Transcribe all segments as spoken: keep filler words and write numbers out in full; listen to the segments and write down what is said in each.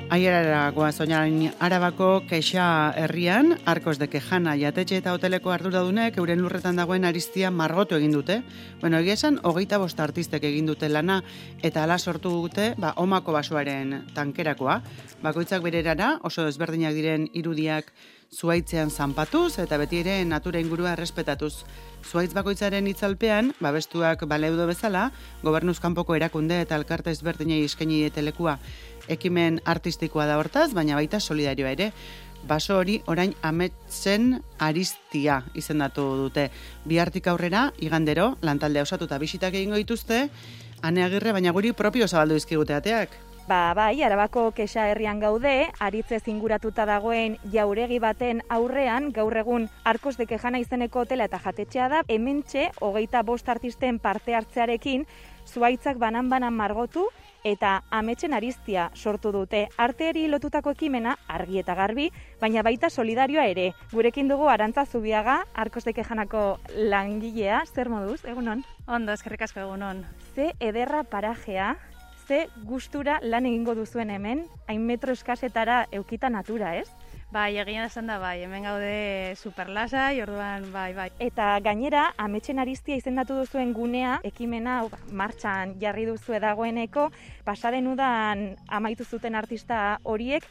Aierara goaz oinain Arabako Kexa herrian, Arkos de Kejana jatetxe eta hoteleko arduradunek euren lurretan dagoen aristia margotu egin dute. Bueno, egia esan, hogeita bost artistek egin dute lana eta ala sortu dute, ba, omako basoaren tankerakoa. Bakoitzak bererara, oso desberdinak diren irudiak zuaitzean zanpatuz eta beti ere natura ingurua errespetatuz. Zuaitz bakoitzaren itzalpean, babestuak baleudo bezala, gobernuz kanpoko erakunde eta elkarte ezberdinei eskaini diete lekua. Ekimen artistikoa da hortaz, baina baita solidarioa ere. Baso hori orain ametsen aristia izendatu dute. Bihartik aurrera, igandero, lantaldea osatuta bisitak egingo dituzte, Ane Agirre, baina guri propio zabaldu dizkigute ateak. Ba, bai, Arabako Kexa herrian gaude, aritzez inguratuta dagoen jauregi baten aurrean, gaur egun Arkos de Kejana izeneko hotela eta jatetxea da, hementxe, hogeita bost artisten parte hartzearekin, zuaitzak banan-banan margotu, eta ametsen aristia sortu dute. Arteari lotutako ekimena argi eta garbi, baina baita solidarioa ere. Gurekin dugu Arantza Zubiaga, Arkos de Kejanako langilea, zer moduz, egunon? Ondo, eskerrik asko egunon. Ze ederra parajea, ze gustura lan egingo duzuen hemen, hain metro eskasetara eukita natura, ez? Bai, egia esan da bai, hemen gaude superlasai, orduan bai, bai. Eta gainera, ametsen aristia izendatu duzuen gunea, ekimena martxan jarri duzue dagoeneko, pasaren udan amaitu zuten artista horiek,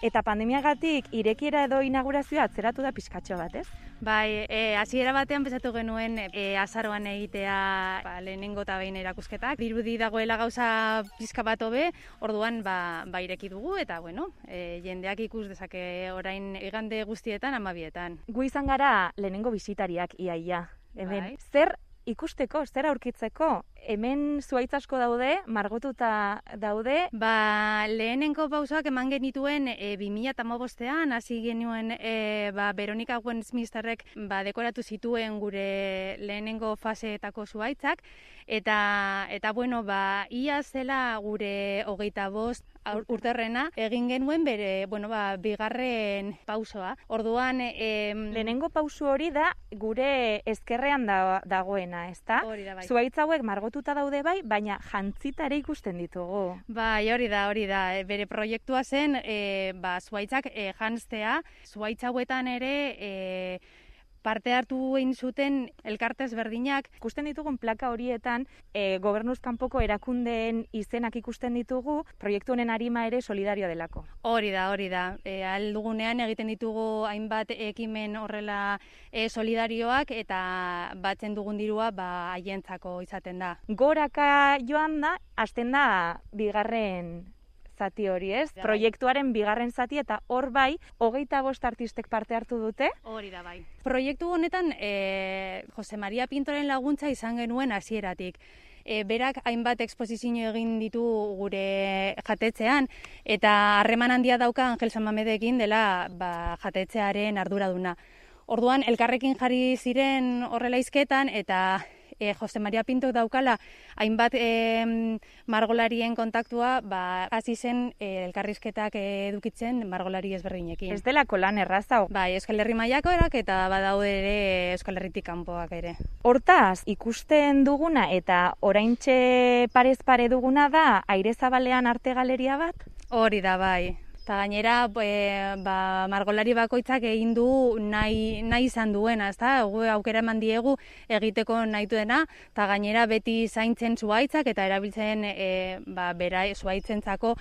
eta pandemiagatik irekiera edo inaugurazioa atzeratu da pixkatxo bat, ez? Bai, e, hasiera batean pensatu genuen e, azaroan egitea ba, lehenengo eta behin erakusketak. Dirudi dagoela gauza pizka bat hobe, orduan ba, ba ireki dugu eta bueno, e, jendeak ikus dezake orain igande guztietan hamabietan. Gu izan gara lehenengo bisitariak iaia. Hemen Bai. Zer ikusteko, zer aurkitzeko? Hemen zuaitz asko daude, margotuta daude. Ba, lehenengo pausoak eman genituen e, bi mila hamabostean hasi genuen e, ba, Veronica Westminsterrek ba, dekoratu zituen gure lehenengo faseetako zuaitzak, eta, eta bueno, ba, ia zela gure hogeita bost urterrena egin genuen bere, bueno, ba, bigarren pausoa. Orduan, e, lehenengo pauso hori da gure ezkerrean da, dagoena, ezta? Hori da, bai. Zuaitz hauek margotuta daude bai, baina jantzita ere ikusten ditugu. Bai, hori da, hori da. Bere proiektua zen, e, ba, zuaitzak e, janztea, zuaitz hauetan ere e, parte hartu egin zuten elkarte ezberdinak. Ikusten ditugun plaka horietan, e, gobernuz kanpoko erakundeen izenak ikusten ditugu, proiektu honen arima ere solidarioa delako. Hori da, hori da. E, ahal dugunean egiten ditugu hainbat ekimen horrela e, solidarioak eta batzen dugun dirua ba, haientzako izaten da. Goraka joan da, hasten da bigarren zati hori, ez? Ja, proiektuaren bigarren zati eta hor bai, hogeita bost artistek parte hartu dute. Hori da bai. Proiektu honetan e, Jose Maria Pintoren laguntza izan genuen hasieratik. E, berak hainbat eksposizio egin ditu gure jatetzean eta harreman handia dauka Angel Sanmamedekin dela ba, jatetzearen arduraduna. Orduan elkarrekin jarri ziren horrela hizketan eta E, Jose Maria Pinto daukala hainbat e, margolarien kontaktua ba, hasi zen e, elkarrizketak edukitzen margolari ezberdinekin. Ez delako lan erraza. Bai, Euskal Herri mailakoak eta badaude ere Euskal Herritik kanpoak ere. Hortaz, ikusten duguna eta oraintxe parez pare duguna da Aire Zabalean arte galeria bat? Hori da, bai. Eta gainera, e, ba, margolari bakoitzak egin du nahi, nahi izan duena, ezta? Gu aukera eman diegu egiteko nahi duena, eta gainera beti zaintzen zuaitzak eta erabiltzen e, ba, bera zuaitzentzako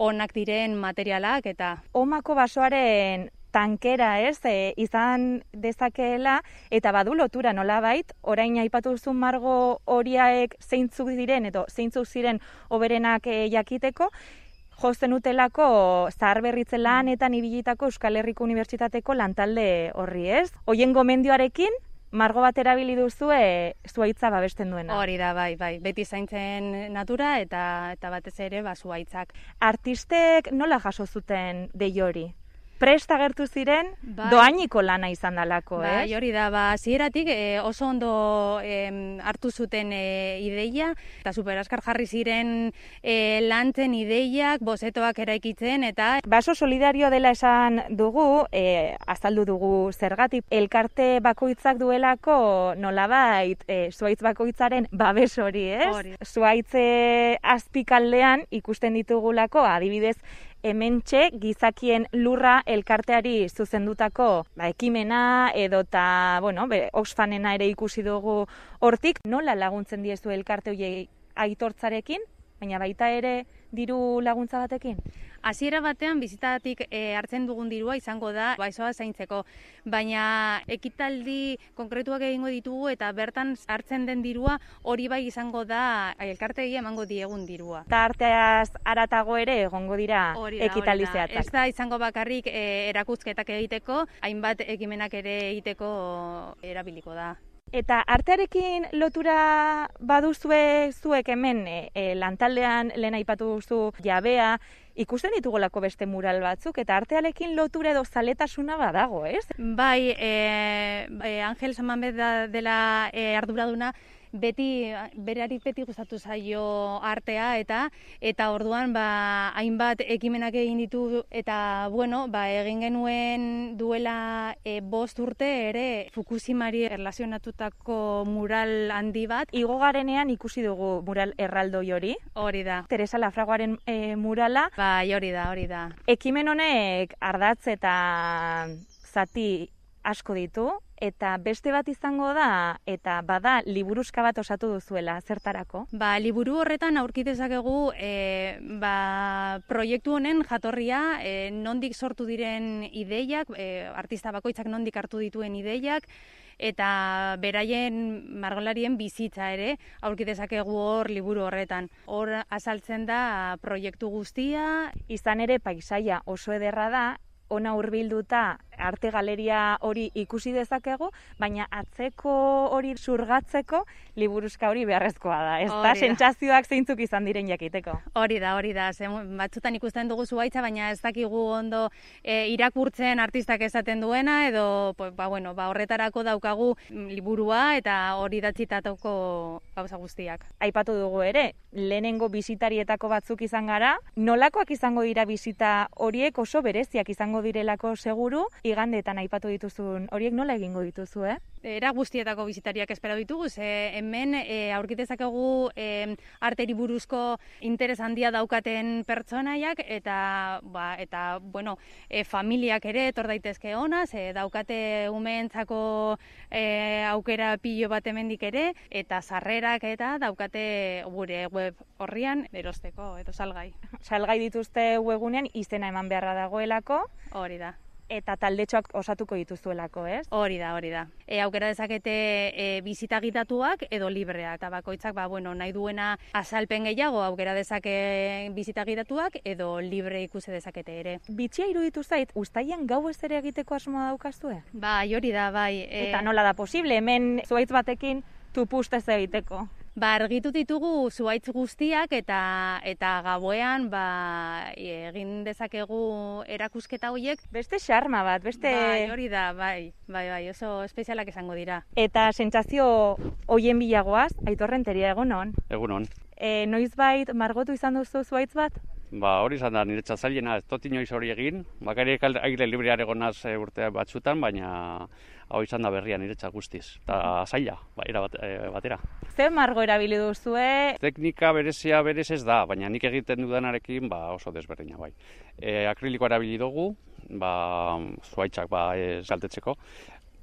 onak diren materialak eta... Omako basoaren tankera, ez, e, izan dezakeela eta badu lotura nolabait, orain aipatu duzun margo horiek zeintzuk diren edo zeintzuk ziren hoberenak e, jakiteko, josten utelako zaharberritze lanetan ibilitako Euskal Herriko Unibertsitateko lantalde horri, ez? Hoien gomendioarekin, margo bat erabili duzue zuaitza babesten duena. Hori da, bai, bai. Beti zaintzen natura eta eta batez ere ba zuaitzak. Artistek nola jaso zuten dei hori? Prest agertu ziren, bai. Dohainiko lana izan dalako, bai, ez? Hori da, ba, zieratik e, oso ondo e, hartu zuten e, ideia, eta superaskar jarri ziren e, lantzen ideiak, bozetoak eraikitzen, eta... Baso solidarioa dela esan dugu, e, azaldu dugu zergatik, elkarte bakoitzak duelako nolabait e, zuaitz bakoitzaren babes hori, ez? Hori. Zuaitze azpikaldean ikusten ditugulako, adibidez, hementxe gizakien lurra elkarteari zuzendutako ba, ekimena edota, bueno, be, Oxfamena ere ikusi dugu hortik, nola laguntzen diezu elkarte horiei aitortzarekin, baina baita ere diru laguntza batekin? Hasiera batean bizitatik e, hartzen dugun dirua izango da basoa zaintzeko, baina ekitaldi konkretuak egingo ditugu eta bertan hartzen den dirua hori bai izango da elkarteei emango diegun dirua. Eta arteaz haratago ere egongo dira ekitaldi zehatzak. Ez da izango bakarrik e, erakusketak egiteko, hainbat ekimenak ere egiteko erabiliko da. Eta artearekin lotura baduzue zuek hemen e, e, lantaldean lehen aipatu duzu jabea, ikusten ditugolako beste mural batzuk, eta artearekin lotura edo zaletasuna badago, ez? Bai, e, e, Angel Samanbet dela e, arduraduna, beti, berari beti gustatu zaio artea eta eta orduan ba, hainbat ekimenak egin ditu eta bueno, ba, egin genuen duela e, bost urte ere Fukushimari erlazionatutako mural handi bat. Igo garenean ikusi dugu mural erraldoi hori. Hori da. Teresa Lafragoaren e, murala. Bai, hori da, hori da. Ekimen honek ardatz eta zati asko ditu. Eta beste bat izango da, eta bada liburuska bat osatu duzuela, zertarako? Ba, liburu horretan aurki dezakegu e, ba, proiektu honen jatorria, e, nondik sortu diren ideiak, e, artista bakoitzak nondik hartu dituen ideiak, eta beraien margolarien bizitza ere aurki dezakegu hor liburu horretan. Hor azaltzen da proiektu guztia. Izan ere paisaia oso ederra da, ona hurbilduta arte galeria hori ikusi dezakegu, baina atzeko hori surgatzeko liburuzka hori beharrezkoa da, ez da? Sentsazioak zeintzuk izan diren jakiteko. Hori da, hori da. Ze, batzutan ikusten dugu zuhaitza, baina ez dakigu ondo e, irakurtzen artistak esaten duena, edo pues, ba, bueno, ba, horretarako daukagu liburua eta hori datzitatako gauza guztiak. Aipatu dugu ere, lehenengo bisitarietako batzuk izan gara, nolakoak izango dira bisita horiek oso bereziak izango direlako seguru, igandeetan aipatu dituzun horiek nola egingo dituzu, eh? Era guztietako bisitariak espero ditugu, ze hemen e, aurkitezakegu e, arteri buruzko interes handia daukaten pertsonaiak eta ba, eta bueno, e, familiak ere etor daitezke ona, ze daukate umeentzako e, aukera pilo bat hemendik ere eta sarrerak eta daukate gure web horrian erosteko edo salgai. Salgai dituzte webunean izena eman beharra dagoelako. Hori da. Eta taldetxoak osatuko dituzuelako, ez? Hori da, hori da. E, aukera dezakete e, bizita gidatuak edo libreak. Eta bakoitzak, ba, bueno, nahi duena azalpen gehiago aukera dezake bizita gidatuak edo libre ikusi dezakete ere. Bitxia iruditu zait, uztailean gau ez ere egiteko asmoa daukazue? Bai, hori da, bai. E... Eta nola da posible, hemen zuhaitz batekin tupustez egiteko? Ba, argitu ditugu zuhaitz guztiak eta eta gauean ba, egin dezakegu erakusketa horiek. Beste xarma bat, beste... Bai, hori da, bai, bai, bai, oso espezialak izango dira. Eta sentsazio hoien bilagoaz, Aitor Renteria, egunon? Egunon. E, noizbait margotu izan duzu zuhaitz bat? Ba, hori izan da, niretzat zailena, ez dut inoiz hori egin. Bakarrik aire libreare gonaz urte batzutan, baina hau izan da berria niretzat guztiz. Eta zaila, ba, era bat, e, batera. Zer margo erabili duzue? Teknika berezia berez ez da, baina nik egiten dudanarekin ba, oso desberdina bai. E, akrilikoa erabili dugu, ba, zuhaitzak ba, ez galtetzeko.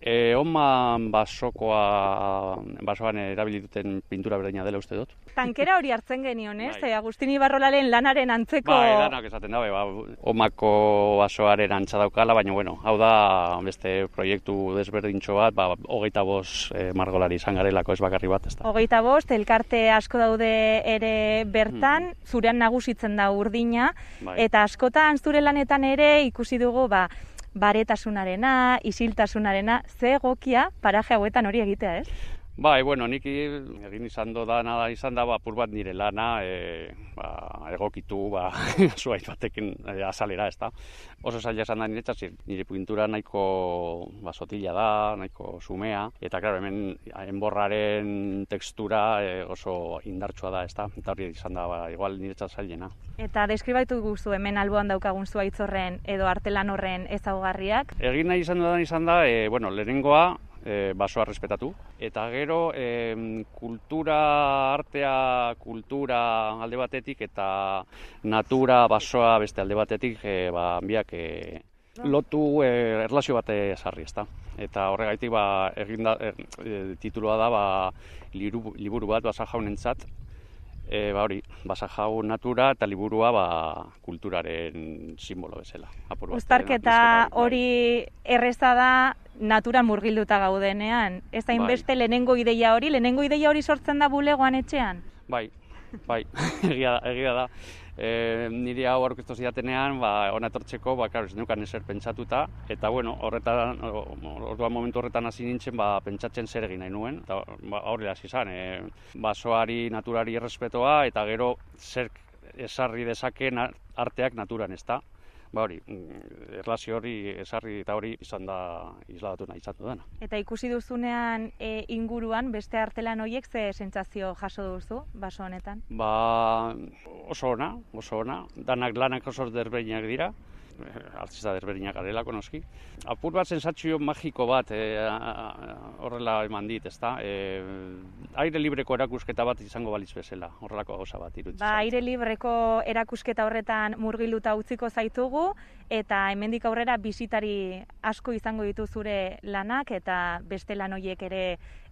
E, Oman basokoa, basoan erabili duten pintura berdina dela uste dut. Tankera hori hartzen genion, ez? Bai. Agustin Ibarrolaren lanaren antzeko... Bai, lanak esaten dabe, ba, Omako basoaren antza daukala, baina bueno, hau da beste proiektu desberdintxo bat, ba, hogeita bost e, margolari izan garelako ez bakarri bat, ez da. Hogeita bost, elkarte asko daude ere bertan, hmm. zurean nagusitzen da urdina, bai. Eta askotan zure lanetan ere ikusi dugu, ba, baretasunarena, isiltasunarena, ze egokia paraje hauetan hori egitea, ez? Bai, bueno, nik egin izan da, nada izan da, ba, apur bat nire lana, e, ba, egokitu, ba, zuhaitz batekin e, azalera, ez da. Oso zaila esan da niretzat, nire pintura nahiko ba, sotila da, nahiko sumea, eta, klaro, hemen enborraren tekstura e, oso indartsua da, ez da. Eta hori izan da, ba, igual niretzat zailena. Eta deskribaitu guzu hemen alboan daukagun zuhaitz horren edo artelan horren ezaugarriak? Egin nahi izan dudan izan da, e, bueno, lehenengoa, e, basoa respetatu. Eta gero, e, kultura, artea, kultura alde batetik eta natura, basoa beste alde batetik, e, ba, biak e, lotu e, erlazio bat ezarri, ezta. Eta horregaitik ba, eginda, e, titulua da ba, liru, liburu bat basa jaunentzat, e, ba hori, basa jaun natura eta liburua ba, kulturaren simbolo bezala. Uztarketa hori erreza da naturan murgilduta gaudenean. Ez da inbeste lehenengo ideia hori, lehenengo ideia hori sortzen da bulegoan etxean? Bai, bai, egia, egia da. E, niri hau aurkeztu zidatenean, ba, hona etortzeko, ba, karo, ez neukan ezer pentsatuta, eta, bueno, horretan, orduan momentu horretan hasi nintzen, ba, pentsatzen zer egin nahi nuen, eta ba, horri hasi izan, e, basoari, naturari errespetoa, eta gero zer esarri dezaken arteak naturan, ez da. Ba hori, erlazio hori esarri eta hori izan da isladatu nahi izan dudana. Eta ikusi duzunean e, inguruan beste artelan horiek ze sentsazio jaso duzu baso honetan? Ba oso ona, oso ona. Danak lanak oso desberdinak dira. Artista desberdinak garelako noski. Apur bat sentsazio magiko bat e, horrela eman dit, ezta? E, aire libreko erakusketa bat izango balitz bezala, horrelako gauza bat iruditzen. Ba, aire libreko erakusketa horretan murgiluta utziko zaitugu eta hemendik aurrera bisitari asko izango ditu zure lanak eta beste lan horiek ere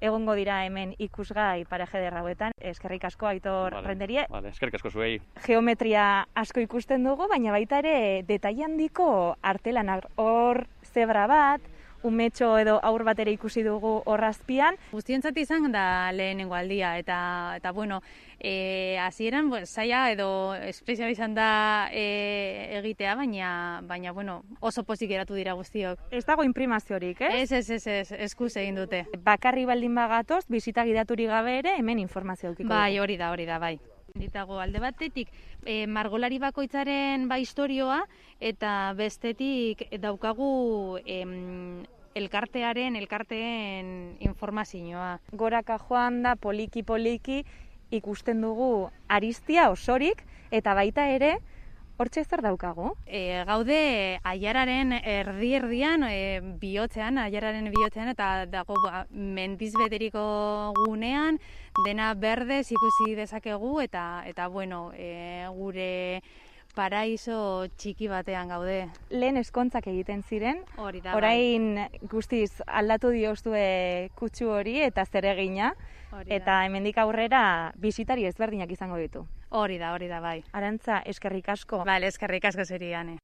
egongo dira hemen ikusgai paraje derrauetan. Eskerrik asko Aitor vale, Renderie. Vale, eskerrik asko zuei. Geometria asko ikusten dugu, baina baita ere detaile handiko artelanak. Hor zebra bat, umetxo edo aur bat ere ikusi dugu horrazpian. Guztientzat izan da lehenengo aldia, eta, eta bueno, e, hasieran pues, zaila edo espezial izan da e, egitea, baina, baina bueno, oso pozik geratu dira guztiok. Ez dago imprimaziorik, eh? Ez, ez, ez, ez, eskuz egin dute. Bakarri baldin bagatoz, bisita gidaturik gabe ere, hemen informazio dukiko. Bai, hori da, hori da, bai. Ditago alde batetik e, margolari bakoitzaren ba historioa eta bestetik daukagu em, elkartearen, elkarteen informazioa. Goraka joan da poliki poliki ikusten dugu aristia osorik eta baita ere hortxe zer daukagu? E, gaude aiararen erdi-erdian, e, bihotzean, aiararen bihotzean, eta dago ba, mendiz beteriko gunean, dena berdez ikusi dezakegu, eta, eta bueno, e, gure paraiso txiki batean gaude. Lehen eskontzak egiten ziren, hori da, orain guztiz aldatu diozue kutsu hori eta zeregina, eta hemendik aurrera bisitari ezberdinak izango ditu. Hori da, hori da, bai. Arantza, eskerrik asko. Bale, eskerrik asko zeri, Ane.